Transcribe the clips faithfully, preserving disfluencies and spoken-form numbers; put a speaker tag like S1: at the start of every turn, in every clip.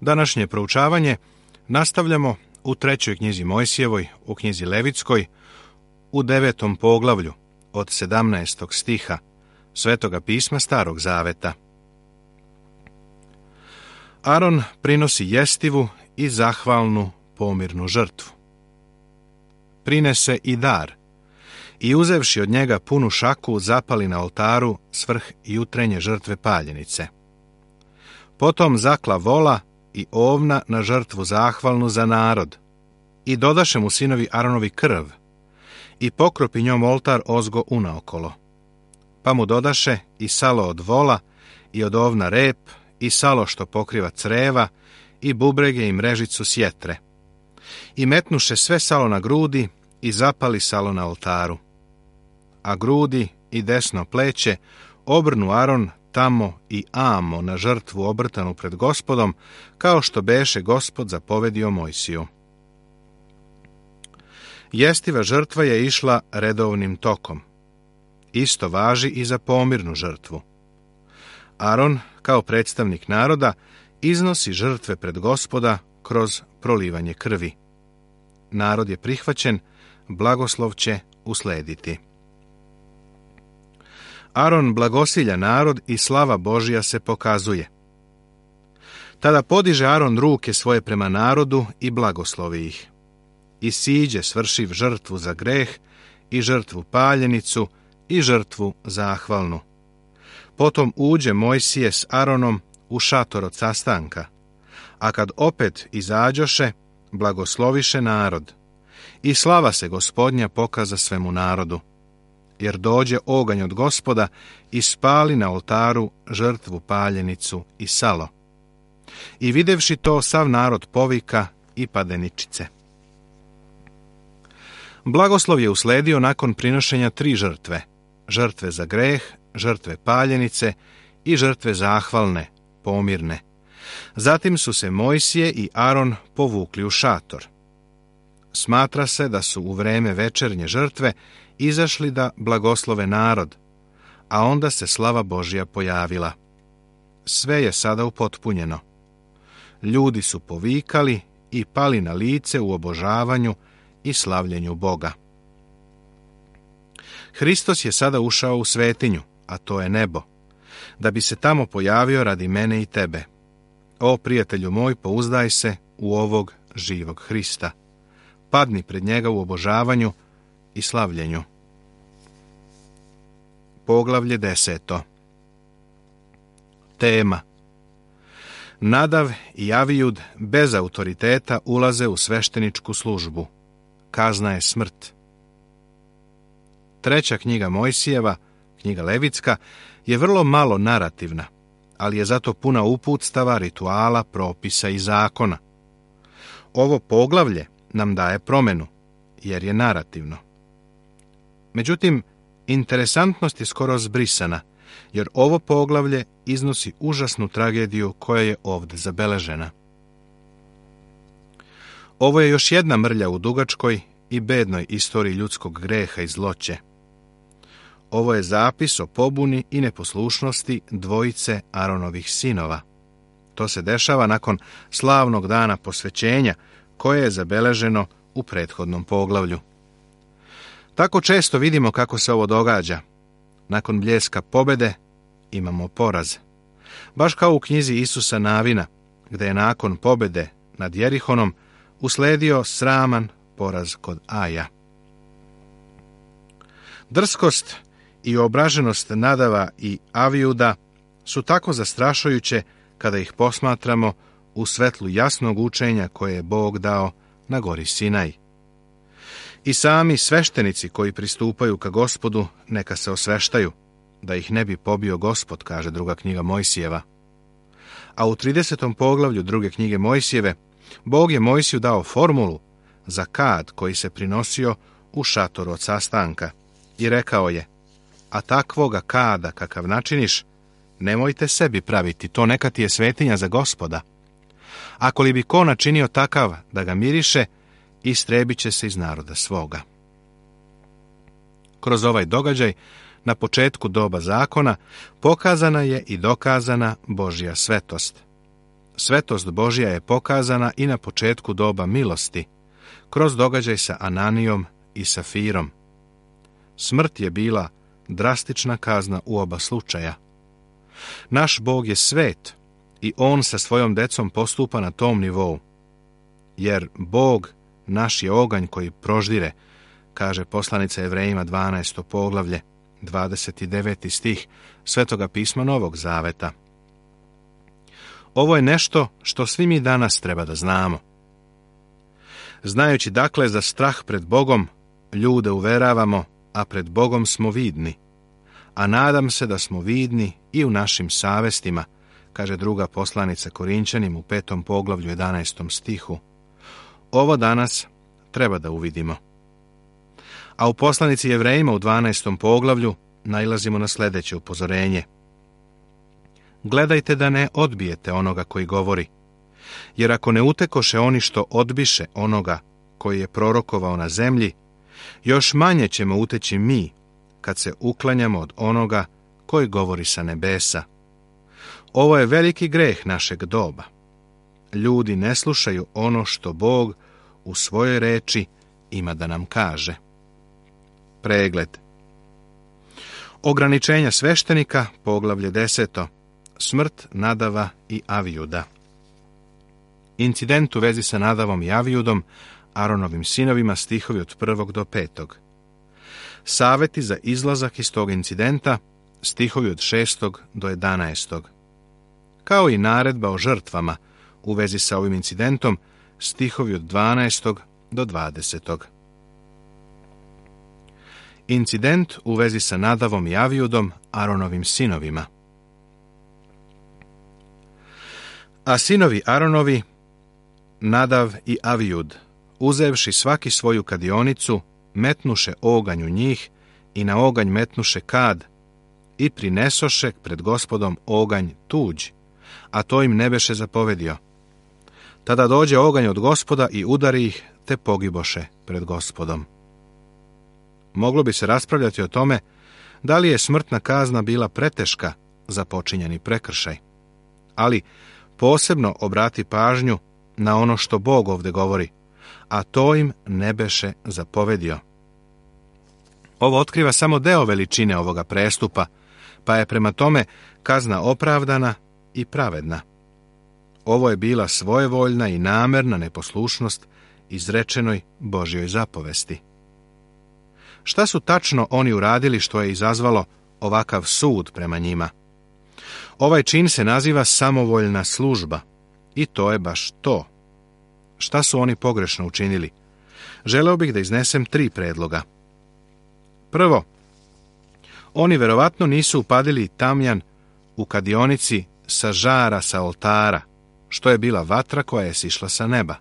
S1: Današnje proučavanje nastavljamo u trećoj knjizi Mojsijevoj, u knjizi Levitskoj, u devetom poglavlju od sedamnaestog stiha Svetoga pisma Starog Zaveta. Aron prinosi jestivu i zahvalnu pomirnu žrtvu. Prinese i dar i uzevši od njega punu šaku zapali na oltaru svrh jutrenje žrtve paljenice. Potom zakla vola i ovna na žrtvu zahvalnu za narod i dodaše mu sinovi Aronovi krv i pokropi njom oltar ozgo unaokolo. Pa mu dodaše i salo od vola i od ovna rep i salo što pokriva creva i bubrege i mrežicu sjetre. I metnuše sve salo na grudi i zapali salo na oltaru. A grudi i desno pleće obrnu Aron tamo i amo na žrtvu obrtanu pred Gospodom, kao što beše Gospod zapovedio Mojsiju. Jestiva žrtva je išla redovnim tokom. Isto važi i za pomirnu žrtvu. Aron, kao predstavnik naroda, iznosi žrtve pred Gospoda kroz prolivanje krvi. Narod je prihvaćen, blagoslov će uslediti. Aron blagosilja narod i slava Božja se pokazuje. Tada podiže Aron ruke svoje prema narodu i blagoslovi ih. I siđe svršiv žrtvu za greh i žrtvu paljenicu i žrtvu zahvalnu. Potom uđe Mojsije s Aronom u šator od sastanka, a kad opet izađoše, blagosloviše narod. I slava se Gospodnja pokaza svemu narodu, jer dođe oganj od Gospoda i spali na oltaru žrtvu paljenicu i salo. I videvši to, sav narod povika i pade ničice. Blagoslov je usledio nakon prinošenja tri žrtve, žrtve za greh, žrtve paljenice i žrtve zahvalne, pomirne. Zatim su se Mojsije i Aron povukli u šator. Smatra se da su u vreme večernje žrtve izašli da blagoslove narod, a onda se slava Božja pojavila. Sve je sada upotpunjeno. Ljudi su povikali i pali na lice u obožavanju i slavljenju Boga. Hristos je sada ušao u svetinju, a to je nebo, da bi se tamo pojavio radi mene i tebe. O, prijatelju moj, pouzdaj se u ovog živog Hrista. Padni pred njega u obožavanju i slavljenju. Poglavlje deseto. Tema. Nadav i Avijud bez autoriteta ulaze u svešteničku službu. Kazna je smrt. Treća knjiga Mojsijeva, knjiga Levitska, je vrlo malo narativna, ali je zato puna uputstava, rituala, propisa i zakona. Ovo poglavlje nam daje promenu, jer je narativno. Međutim, interesantnost je skoro zbrisana, jer ovo poglavlje iznosi užasnu tragediju koja je ovdje zabeležena. Ovo je još jedna mrlja u dugačkoj i bednoj istoriji ljudskog greha i zloće. Ovo je zapis o pobuni i neposlušnosti dvojice Aronovih sinova. To se dešava nakon slavnog dana posvećenja, koje je zabeleženo u prethodnom poglavlju. Tako često vidimo kako se ovo događa. Nakon bljeska pobede imamo poraz. Baš kao u knjizi Isusa Navina, gdje je nakon pobede nad Jerihonom usledio sraman poraz kod Aja. Drskost i obraženost Nadava i Avijuda su tako zastrašujuće kada ih posmatramo u svetlu jasnog učenja koje je Bog dao na gori Sinaj. I sami sveštenici koji pristupaju ka Gospodu neka se osveštaju, da ih ne bi pobio Gospod, kaže druga knjiga Mojsijeva. A u tridesetom poglavlju druge knjige Mojsijeve, Bog je Mojsiju dao formulu za kad koji se prinosio u šatoru od sastanka i rekao je: a takvoga kada kakav načiniš, nemojte sebi praviti, to neka ti je svetinja za Gospoda. Ako li bi ko načinio takav da ga miriše, istrebit će se iz naroda svoga. Kroz ovaj događaj, na početku doba zakona, pokazana je i dokazana Božja svetost. svetost Božja je pokazana i na početku doba milosti, kroz događaj sa Ananijom i Safirom. Smrt je bila drastična kazna u oba slučaja. Naš Bog je svet i On sa svojom decom postupa na tom nivou. Jer Bog naš je oganj koji proždire, kaže poslanica Jevrejima dvanaesto poglavlje, dvadeset deveti stih Svetoga pisma Novog Zaveta. Ovo je nešto što svi mi danas treba da znamo. Znajući dakle za strah pred Bogom, ljude uveravamo, a pred Bogom smo vidni. A nadam se da smo vidni i u našim savestima, kaže druga poslanica Korinćanima u petom poglavlju jedanaestom stihu. Ovo danas treba da uvidimo. A u poslanici Jevrejima u dvanaestom poglavlju nailazimo na sljedeće upozorenje. Gledajte da ne odbijete onoga koji govori, jer ako ne utekoše oni što odbiše onoga koji je prorokovao na zemlji, još manje ćemo uteći mi kad se uklanjamo od onoga koji govori sa nebesa. Ovo je veliki greh našeg doba. Ljudi ne slušaju ono što Bog u svojoj reči ima da nam kaže. Pregled. Ograničenja sveštenika, poglavlje deseto. Smrt Nadava i Avijuda. Incident u vezi sa Nadavom i Avijudom, Aronovim sinovima, stihovi od prvog do petog. Saveti za izlazak iz tog incidenta, stihovi od šestog do jedanaestog. Kao i naredba o žrtvama u vezi sa ovim incidentom, stihovi od dvanaestog do dvadesetog. Incident u vezi sa Nadavom i Avijudom, Aronovim sinovima. A sinovi Aronovi, Nadav i Avijud, uzevši svaki svoju kadionicu, metnuše oganj u njih i na oganj metnuše kad i prinesoše pred Gospodom oganj tuđ, a to im ne beše zapovedio. Tada dođe oganj od Gospoda i udari ih, te pogiboše pred Gospodom. Moglo bi se raspravljati o tome da li je smrtna kazna bila preteška za počinjeni prekršaj, ali posebno obrati pažnju na ono što Bog ovdje govori, a to im ne beše zapovedio. Ovo otkriva samo deo veličine ovoga prestupa, pa je prema tome kazna opravdana i pravedna. Ovo je bila svojevoljna i namerna neposlušnost izrečenoj Božjoj zapovesti. Šta su tačno oni uradili što je izazvalo ovakav sud prema njima? Ovaj čin se naziva samovoljna služba i to je baš to. Šta su oni pogrešno učinili? Želeo bih da iznesem tri predloga. Prvo, oni verovatno nisu upadili tamjan u kadionici sa žara sa oltara, što je bila vatra koja je sišla sa neba.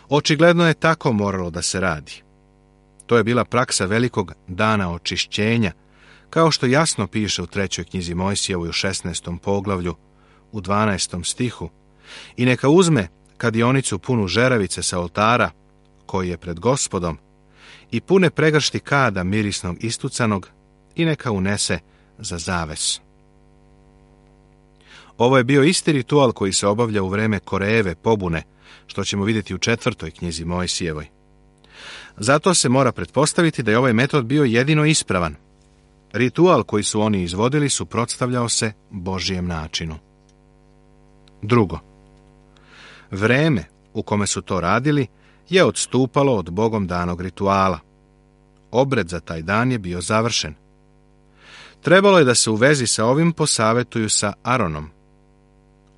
S1: Očigledno je tako moralo da se radi. To je bila praksa velikog dana očišćenja, kao što jasno piše u trećoj knjizi Mojsijevoj u šesnaestom poglavlju, u dvanaestom stihu, i neka uzme kadionicu punu žeravice sa oltara, koji je pred Gospodom, i pune pregršti kada mirisnog istucanog, i neka unese za zaves. Ovo je bio isti ritual koji se obavlja u vreme Korejeve pobune, što ćemo vidjeti u četvrtoj knjizi Mojsijevoj. Zato se mora pretpostaviti da je ovaj metod bio jedino ispravan. Ritual koji su oni izvodili suprotstavljao se Božjem načinu. Drugo, vreme u kome su to radili je odstupalo od Bogom danog rituala. Obred za taj dan je bio završen. Trebalo je da se u vezi sa ovim posavetuju sa Aronom.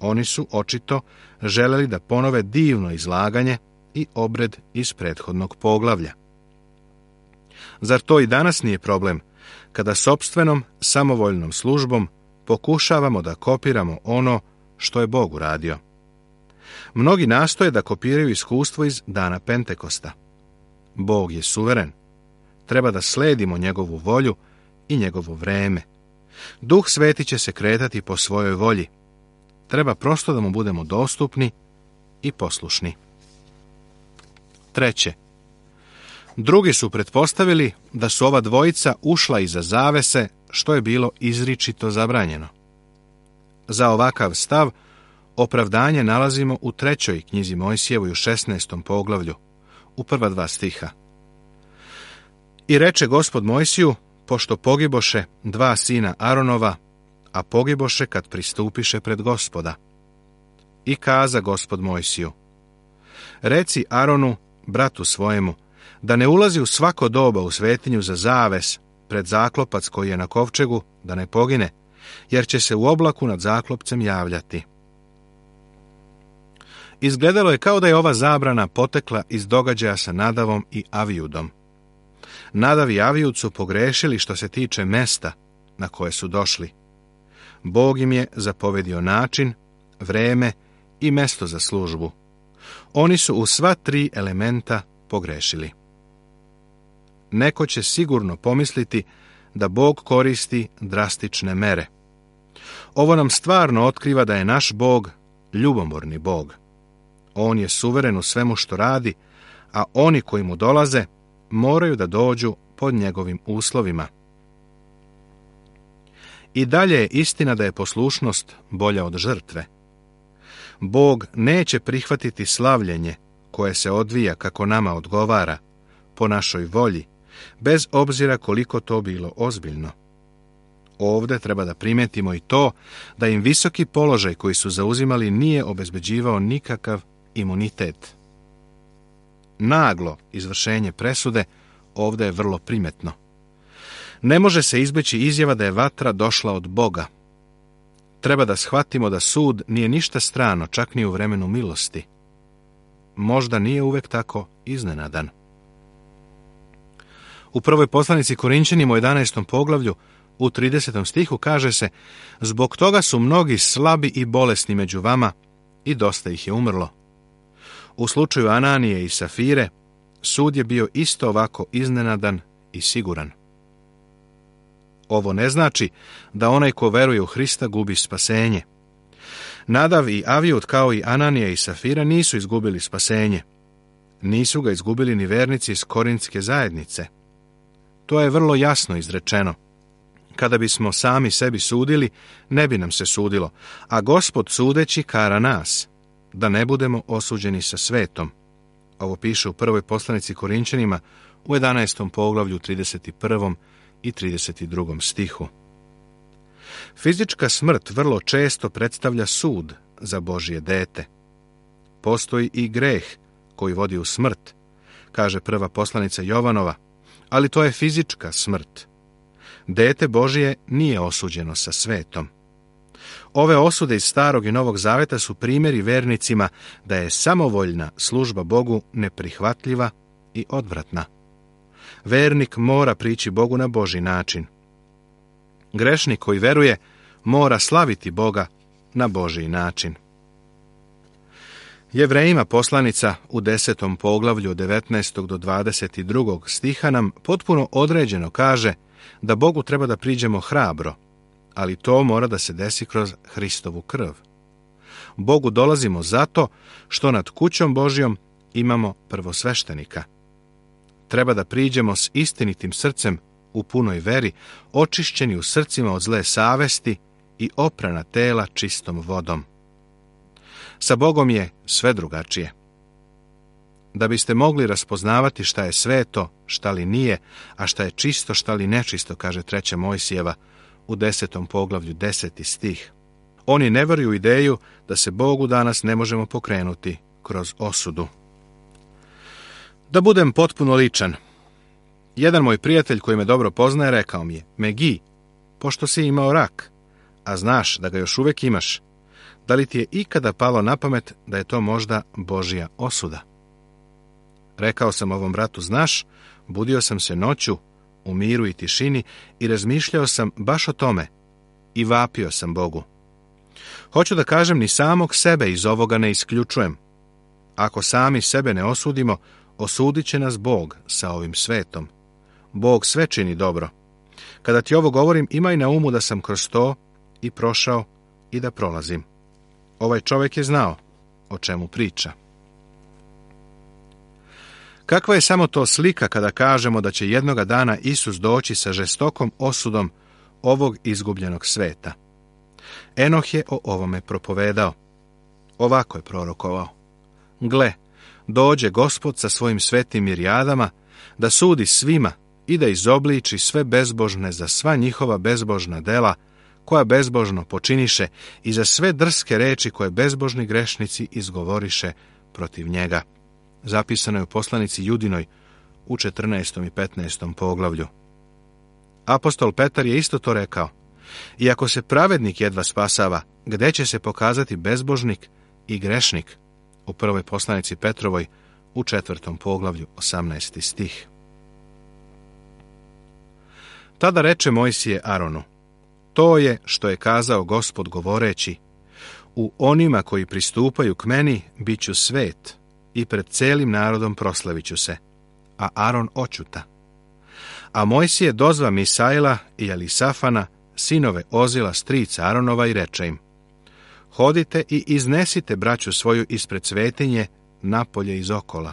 S1: Oni su očito želeli da ponove divno izlaganje i obred iz prethodnog poglavlja. Zar to i danas nije problem, kada sopstvenom, samovoljnom službom pokušavamo da kopiramo ono što je Bog uradio? Mnogi nastoje da kopiraju iskustvo iz dana Pentekosta. Bog je suveren. Treba da sledimo njegovu volju i njegovo vreme. Duh Sveti će se kretati po svojoj volji. Treba prosto da mu budemo dostupni i poslušni. Treće, drugi su pretpostavili da su ova dvojica ušla iza zavese, što je bilo izričito zabranjeno. Za ovakav stav Opravdanje nalazimo u trećoj knjizi Mojsijevoj u šesnaestom poglavlju, u prva dva stiha. I reče Gospod Mojsiju, pošto pogiboše dva sina Aronova, a pogiboše kad pristupiše pred Gospoda. I kaza Gospod Mojsiju, reci Aronu, bratu svojemu, da ne ulazi u svako doba u svetinju za zaves pred zaklopac koji je na kovčegu, da ne pogine, jer će se u oblaku nad zaklopcem javljati. Izgledalo je kao da je ova zabrana potekla iz događaja sa Nadavom i Avijudom. Nadav i Avijud su pogrešili što se tiče mesta na koje su došli. Bog im je zapovedio način, vreme i mesto za službu. Oni su u sva tri elementa pogrešili. Neko će sigurno pomisliti da Bog koristi drastične mere. Ovo nam stvarno otkriva da je naš Bog ljubomorni Bog. On je suveren u svemu što radi, a oni koji mu dolaze moraju da dođu pod njegovim uslovima. I dalje je istina da je poslušnost bolja od žrtve. Bog neće prihvatiti slavljenje koje se odvija kako nama odgovara, po našoj volji, bez obzira koliko to bilo ozbiljno. Ovdje treba da primetimo i to da im visoki položaj koji su zauzimali nije obezbeđivao nikakav imunitet. Naglo izvršenje presude ovdje je vrlo primetno. Ne može se izbeći izjava da je vatra došla od Boga. Treba da shvatimo da sud nije ništa strano, čak ni u vremenu milosti. Možda nije uvek tako iznenadan. U prvoj poslanici Korinćanima u jedanaestom poglavlju u tridesetom stihu kaže se: zbog toga su mnogi slabi i bolesni među vama i dosta ih je umrlo. U slučaju Ananije i Safire sud je bio isto ovako iznenadan i siguran. Ovo ne znači da onaj ko veruje u Hrista gubi spasenje. Nadav i Avijud kao i Ananija i Safira nisu izgubili spasenje. Nisu ga izgubili ni vernici iz Korintske zajednice. To je vrlo jasno izrečeno. Kada bismo sami sebi sudili, ne bi nam se sudilo, a Gospod sudeći kara nas, da ne budemo osuđeni sa svetom. Ovo piše u prvoj poslanici Korinćanima u jedanaestom poglavlju trideset prvom i trideset drugom stihu. Fizička smrt vrlo često predstavlja sud za Božje dete. Postoji i greh koji vodi u smrt, kaže prva poslanica Jovanova, ali to je fizička smrt. Dete Božje nije osuđeno sa svetom. Ove osude iz Starog i Novog Zaveta su primjeri vernicima da je samovoljna služba Bogu neprihvatljiva i odvratna. Vernik mora prići Bogu na Božji način. Grešnik koji veruje mora slaviti Boga na Božji način. Jevrejima poslanica u desetom poglavlju od devetnaestog do dvadeset drugog stiha nam potpuno određeno kaže da Bogu treba da priđemo hrabro, ali to mora da se desi kroz Hristovu krv. Bogu dolazimo zato što nad kućom Božjom imamo prvosveštenika. Treba da priđemo s istinitim srcem u punoj veri, očišćeni u srcima od zle savesti i oprana tela čistom vodom. Sa Bogom je sve drugačije. Da biste mogli raspoznavati šta je sveto, šta li nije, a šta je čisto, šta li nečisto, kaže treća Mojsijeva u desetom poglavlju deseti stih. Oni ne veruju ideju da se Bogu danas ne možemo pokrenuti kroz osudu. Da budem potpuno ličan, jedan moj prijatelj koji me dobro poznaje rekao mi je: Megi, pošto si imao rak, a znaš da ga još uvijek imaš, da li ti je ikada palo na pamet da je to možda Božja osuda? Rekao sam ovom bratu: znaš, budio sam se noću u miru i tišini i razmišljao sam baš o tome i vapio sam Bogu. Hoću da kažem, ni samog sebe iz ovoga ne isključujem. Ako sami sebe ne osudimo, osudit će nas Bog sa ovim svetom. Bog sve čini dobro. Kada ti ovo govorim, imaj na umu da sam kroz to i prošao i da prolazim. Ovaj čovjek je znao o čemu priča. Kakva je samo to slika kada kažemo da će jednoga dana Isus doći sa žestokom osudom ovog izgubljenog sveta. Enoh je o ovome propovedao. Ovako je prorokovao: Gle, dođe Gospod sa svojim svetim mirijadama da sudi svima i da izobliči sve bezbožne za sva njihova bezbožna dela koja bezbožno počiniše i za sve drske reči koje bezbožni grešnici izgovoriše protiv njega. Zapisano je u poslanici Judinoj u četrnaestom i petnaestom poglavlju. Apostol Petar je isto to rekao: Iako se pravednik jedva spasava, gde će se pokazati bezbožnik i grešnik? U prvoj poslanici Petrovoj u četvrtom poglavlju, osamnaesti stih. Tada reče Mojsije Aronu: To je što je kazao Gospod govoreći: U onima koji pristupaju k meni bit ću svet i pred celim narodom proslavit ću se. A Aron oćuta. A Mojsije dozva Misaila i Elisafana, sinove Ozila, strica Aronova, i reče im: Hodite i iznesite braću svoju ispred svetinje napolje iz okola.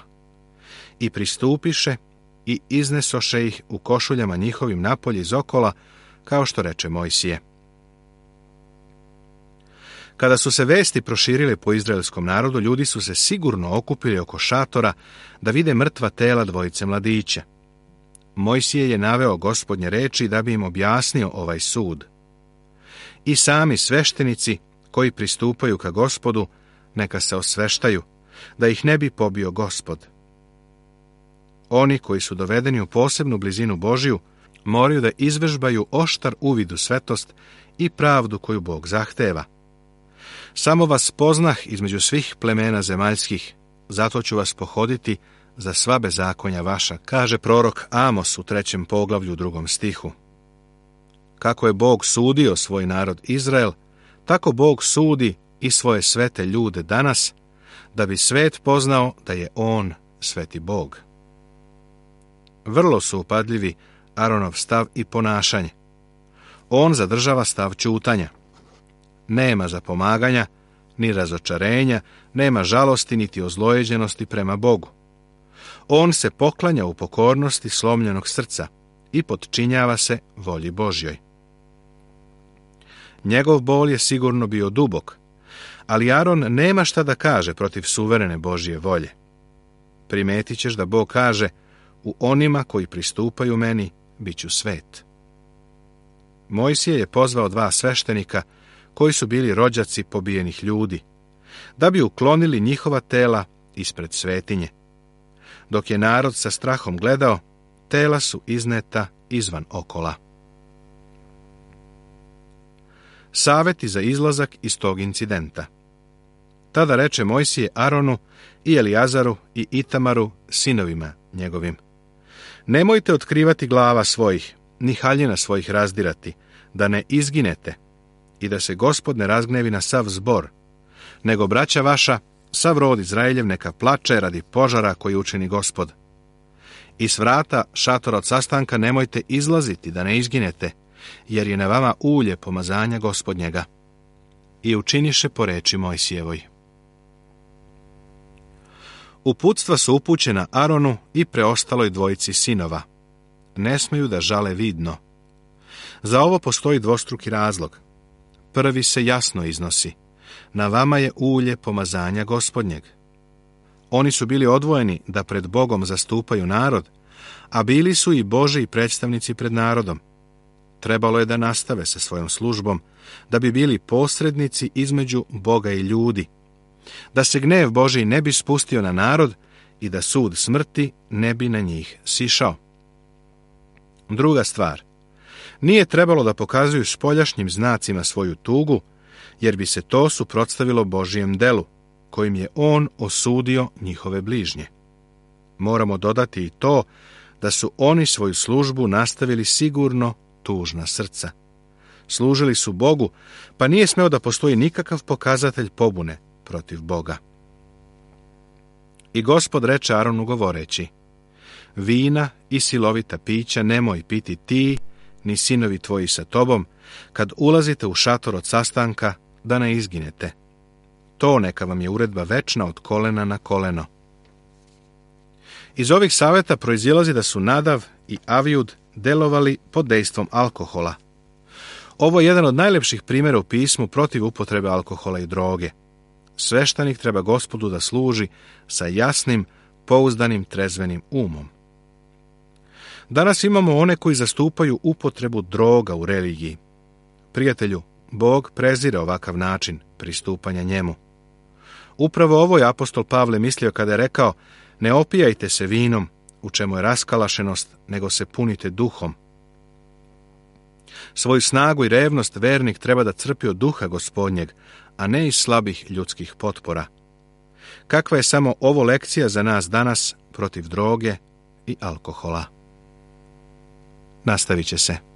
S1: I pristupiše i iznesoše ih u košuljama njihovim napolje iz okola, kao što reče Mojsije. Kada su se vesti proširile po izraelskom narodu, ljudi su se sigurno okupili oko šatora da vide mrtva tela dvojice mladića. Mojsije je naveo Gospodnje reči da bi im objasnio ovaj sud. I sami sveštenici koji pristupaju ka Gospodu, neka se osveštaju, da ih ne bi pobio Gospod. Oni koji su dovedeni u posebnu blizinu Božiju, moraju da izvežbaju oštar uvid u svetost i pravdu koju Bog zahteva. Samo vas poznah između svih plemena zemaljskih, zato ću vas pohoditi za sva bezakonja vaša, kaže prorok Amos u trećem poglavlju, drugom stihu. Kako je Bog sudio svoj narod Izrael, tako Bog sudi i svoje svete ljude danas, da bi svet poznao da je On sveti Bog. Vrlo su upadljivi Aronov stav i ponašanje. On zadržava stav ćutanja. Nema zapomaganja, ni razočarenja, nema žalosti niti ozlojeđenosti prema Bogu. On se poklanja u pokornosti slomljenog srca i potčinjava se volji Božjoj. Njegov bol je sigurno bio dubok, ali Aron nema šta da kaže protiv suverene Božje volje. Primetit ćeš da Bog kaže: U onima koji pristupaju meni bit ću svet. Mojsije je pozvao dva sveštenika koji su bili rođaci pobijenih ljudi, da bi uklonili njihova tela ispred svetinje. Dok je narod sa strahom gledao, tela su izneta izvan okola. Saveti za izlazak iz tog incidenta. Tada reče Mojsije Aronu i Elijazaru i Itamaru, sinovima njegovim: Nemojte otkrivati glava svojih, ni haljina svojih razdirati, da ne izginete i da se Gospod ne razgnevi na sav zbor, nego braća vaša, sav rod Izraeljev, neka plače radi požara koji učini Gospod. I s vrata šatora od sastanka nemojte izlaziti da ne izginete, jer je na vama ulje pomazanja Gospodnjega. I učiniše po reči Mojsijevoj. Uputstva su upućena Aronu i preostaloj dvojici sinova. Ne smeju da žale vidno. Za ovo postoji dvostruki razlog. Prvi se jasno iznosi: na vama je ulje pomazanja Gospodnjeg. Oni su bili odvojeni da pred Bogom zastupaju narod, a bili su i Božji predstavnici pred narodom. Trebalo je da nastave sa svojom službom, da bi bili posrednici između Boga i ljudi, da se gnev Božji ne bi spustio na narod i da sud smrti ne bi na njih sišao. Druga stvar, nije trebalo da pokazuju spoljašnjim znacima svoju tugu, jer bi se to suprotstavilo Božjem delu, kojim je On osudio njihove bližnje. Moramo dodati i to da su oni svoju službu nastavili sigurno tužna srca. Služili su Bogu, pa nije smeo da postoji nikakav pokazatelj pobune protiv Boga. I Gospod reče Aronu govoreći: Vina i silovita pića nemoj piti ti, ni sinovi tvoji sa tobom, kad ulazite u šator od sastanka, da ne izginete. To neka vam je uredba večna od kolena na koleno. Iz ovih saveta proizilazi da su Nadav i Avijud delovali pod dejstvom alkohola. Ovo je jedan od najlepših primjera u pismu protiv upotrebe alkohola i droge. sveštenik treba Gospodu da služi sa jasnim, pouzdanim, trezvenim umom. Danas imamo one koji zastupaju upotrebu droga u religiji. Prijatelju, Bog prezire ovakav način pristupanja njemu. Upravo ovo je apostol Pavle mislio kada je rekao: ne opijajte se vinom, u čemu je raskalašenost, nego se punite duhom. Svoju snagu i revnost vernik treba da crpi od duha Gospodnjeg, a ne iz slabih ljudskih potpora. Kakva je samo ovo lekcija za nas danas protiv droge i alkohola? Nastavit će se.